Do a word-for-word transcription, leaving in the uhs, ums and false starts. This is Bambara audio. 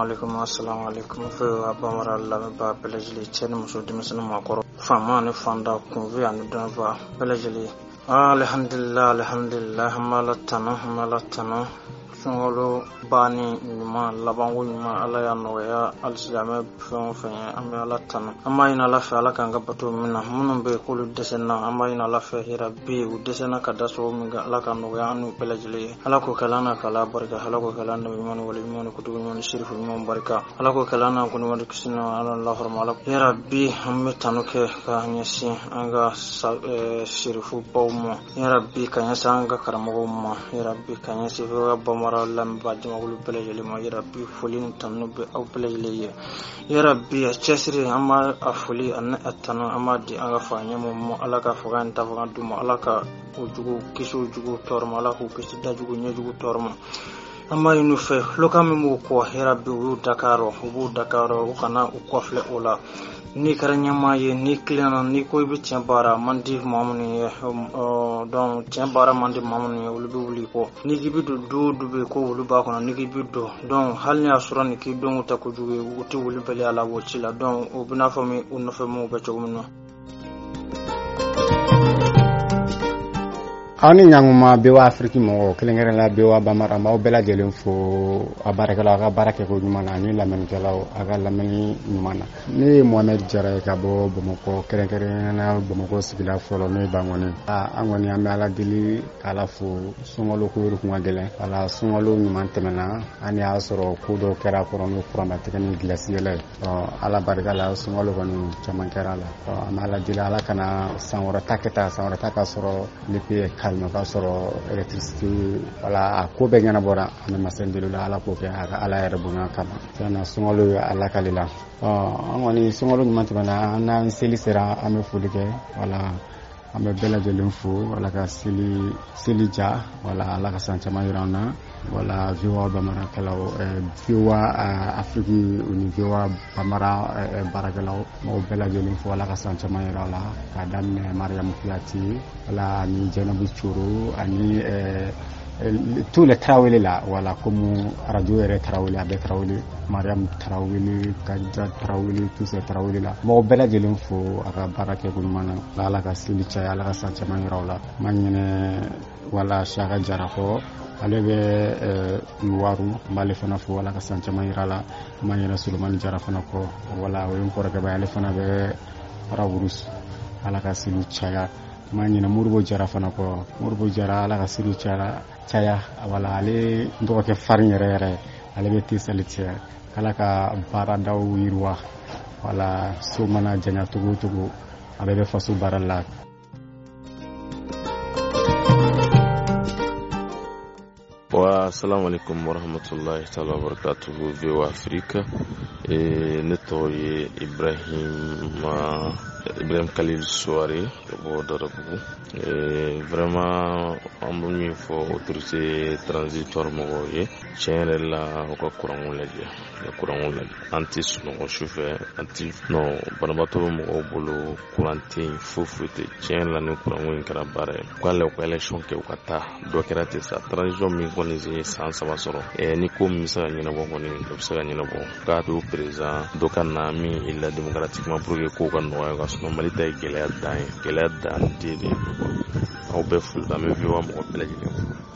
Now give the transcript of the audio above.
alaikum, assalamu alaikum. V O A Bambara lamɛnbaa bɛɛ lajɛlen, cɛ ni muso, denmisɛnnin, maakɔrɔ, faama ni fanda, kunfi ani dɔnniba bɛɛ lajɛlen. Alhamdulillah, alhamdulillah, an b'Ala tanu, an b'Ala tanu. Sunkalo banni ɲuman, labanko ɲuman, Ala y'a nɔgɔya alisilamɛ fɛn o fɛn ye. An bɛ Ala tanu, an b'a ɲini Ala fɛ, Ala k'an ka bato min na. Minnu bɛ yen k'olu dɛsɛna, an b'a ɲini Ala fɛ, yarabi, u dɛsɛna ka da sababu min kan, Ala ka nɔgɔya an n'u bɛɛ lajɛlen ye. Ala k'o kɛla an na k'Ala barika. Ala k'o kɛla an nabi ɲuman ni wali ɲuman ni kutubu ɲuman ni sirifu ɲuman barika. Ala k'o kɛla an na kɔni wali kisi na Ala lahɔrɔma. Ala yarabi, an bɛ tanu kɛ ka ɲɛsin an ka sirifu baw ma, yarabi, ka ɲɛsin an ka karamɔgɔw ma, yarabi, ka ɲɛsin V O A Bambara lamɛnbaa jamakulu bɛɛ lajɛlen ma. Yarabi, foli ni tanu bɛ aw bɛɛ lajɛlen ye. Yarabi, a cɛsiri, an b'a a foli ani a tanu, an b'a di an ka fa ɲɛmɔgɔ ma. Ala ka fanga ni tafaga d'u ma. Ala ka o jugu kisi, o jugu tɔɔrɔ ma. Ala k'u kisi dajugu ɲɛjugu tɔɔrɔ ma. An b'a ɲini u fɛ, kulokan min b'u kɔ, yarabi, u y'u dakayɔrɔ, u b'u dakayɔrɔ, u kana u kɔfilɛ o la. N'i kɛra ɲɛmaa ye, n'i tilenna, n'i ko i bɛ tiɲɛ baara man di maa minnu ye, donc tiɲɛ baara man di maa minnu ye, olu bɛ wuli i kɔ. N'i k'i bɛ don du o du bɛ yen ko wulu b'a kɔnɔ, n'i k'i bɛ don, donc hali n'a y'a sɔrɔ nin k'i donko tɛ kojugu ye, u tɛ wuli bali a la o ci la. Donc o bɛ n'a fɔ min u nɔfɛ maaw bɛ cogo min na. Aw ni ɲankuma, V O A Afiriki mɔgɔw, kɛrɛnkɛrɛnnenya V O A Bambara, an b'aw bɛɛ lajɛlen fo, a baarakɛlaw, a ka baara kɛko ɲuman na, ani lamɛnnikɛlaw, a ka lamɛnni ɲuman na. Ne ye Mohamed Jara ye ka bɔ Bamakɔ, kɛrɛnkɛrɛnnenya Bamakɔ sigida fɔlɔ, n'o ye Bankɔni. An kɔni, an bɛ Ala deli k'Ala fo. Sunkalo ko kun ka gɛlɛn, wala sunkalo ɲuman tɛmɛna, an y'a sɔrɔ ko dɔw kɛra kɔrɔ, n'o kuranbatigɛ ni gilasi yɛlɛ ye. Ala barika la, sunkalo kɔni caman kɛra la. An bɛ Ala deli, Ala kana san wɛrɛ ta kɛ tan, san wɛrɛ ta ka sɔrɔ le pays calme, k'a sɔrɔ électricité, wala a ko bɛɛ ɲɛnabɔra. An bɛ masa deli la, Ala k'o kɛ a ka Ala yɛrɛ bonya kama. Tiɲɛna, sunkalo ye Ala kale la. An kɔni, sunkalo ɲuman tɛmɛna, an n'an seli sera, an bɛ foli kɛ, wala an bɛ bɛɛ lajɛlen fo. Ala ka seli seli ja, wala Ala ka san caman yira an na. Wala V O A Bamarakɛlaw, V O A Afiriki ni V O A Bambara baarakɛlaw, mɔgɔw bɛɛ lajɛlen fo. Ala ka san caman yira la, k'a daminɛ Mariyamu Kuyate, wala ani Jɛnɛbu Coro, ani tous les Tarawele la, wala comme radio yɛrɛ Tarawele, a bɛɛ Tarawele, Mariam Tarawele, Kadija Tarawele, tous ces Tarawele la, mɔgɔ bɛɛ lajɛlen fo a ka baara kɛ ko ɲuman na. Ala ka seli caya, Ala ka san caman yira la. Ma ɲinɛ wala Saka Jara kɔ, ale bɛ Luwaru, n b'ale fana fo, Ala ka san caman yira la. Ma ɲinɛ Solomani Jara fana kɔ, wala o ye n kɔrɔkɛ ba ye, ale fana bɛ Raburus, Ala ka seli caya. Ma ɲinɛ Moribo Jara fana kɔ, Moribo Jara, Ala ka seli caya caya. Wala ale n dɔgɔkɛ farin yɛrɛ yɛrɛ, ale bɛ Tesali cɛ. Ala ka baaradaw yiriwa, wala so mana janya togo o togo, a bɛɛ bɛ faso baara la. Wa assalamu alaikum warahmatullahi taala wabarakatuhu. V O A Afrique, e, ne tɔgɔ ye Ibrahim Ibrahim Khalil Souare ka bɔ Darabugu. E, vraiment an bɛ min fɔ autorité transitoire mɔgɔw ye, tiɲɛ yɛrɛ la, u ka kuranko lajɛ, u ka kuranko lajɛ. An tɛ sunɔgɔ sufɛ, an tɛ non, banabaatɔ bɛ mɔgɔw bolo, kuran tɛ yen, foyi foyi tɛ. Tiɲɛ yɛrɛ la, ni kuranko in kɛra baara ye, u k'a lajɛ u ka élection kɛ, u ka taa dɔ kɛra ten sa. Transition min kɔni ye san saba sɔrɔ, ɛ ni ko min bɛ se ka ɲɛnabɔ kɔni, o bɛ se ka ɲɛnabɔ, k'a to président dɔ ka na min élira démocratiquement pour que kow ka nɔgɔya ka. Sinon Mali ta ye gɛlɛya dan ye, gɛlɛya dan den de ye. Aw bɛɛ foli, an bɛ V O A mɔgɔ bɛɛ lajɛlen fo.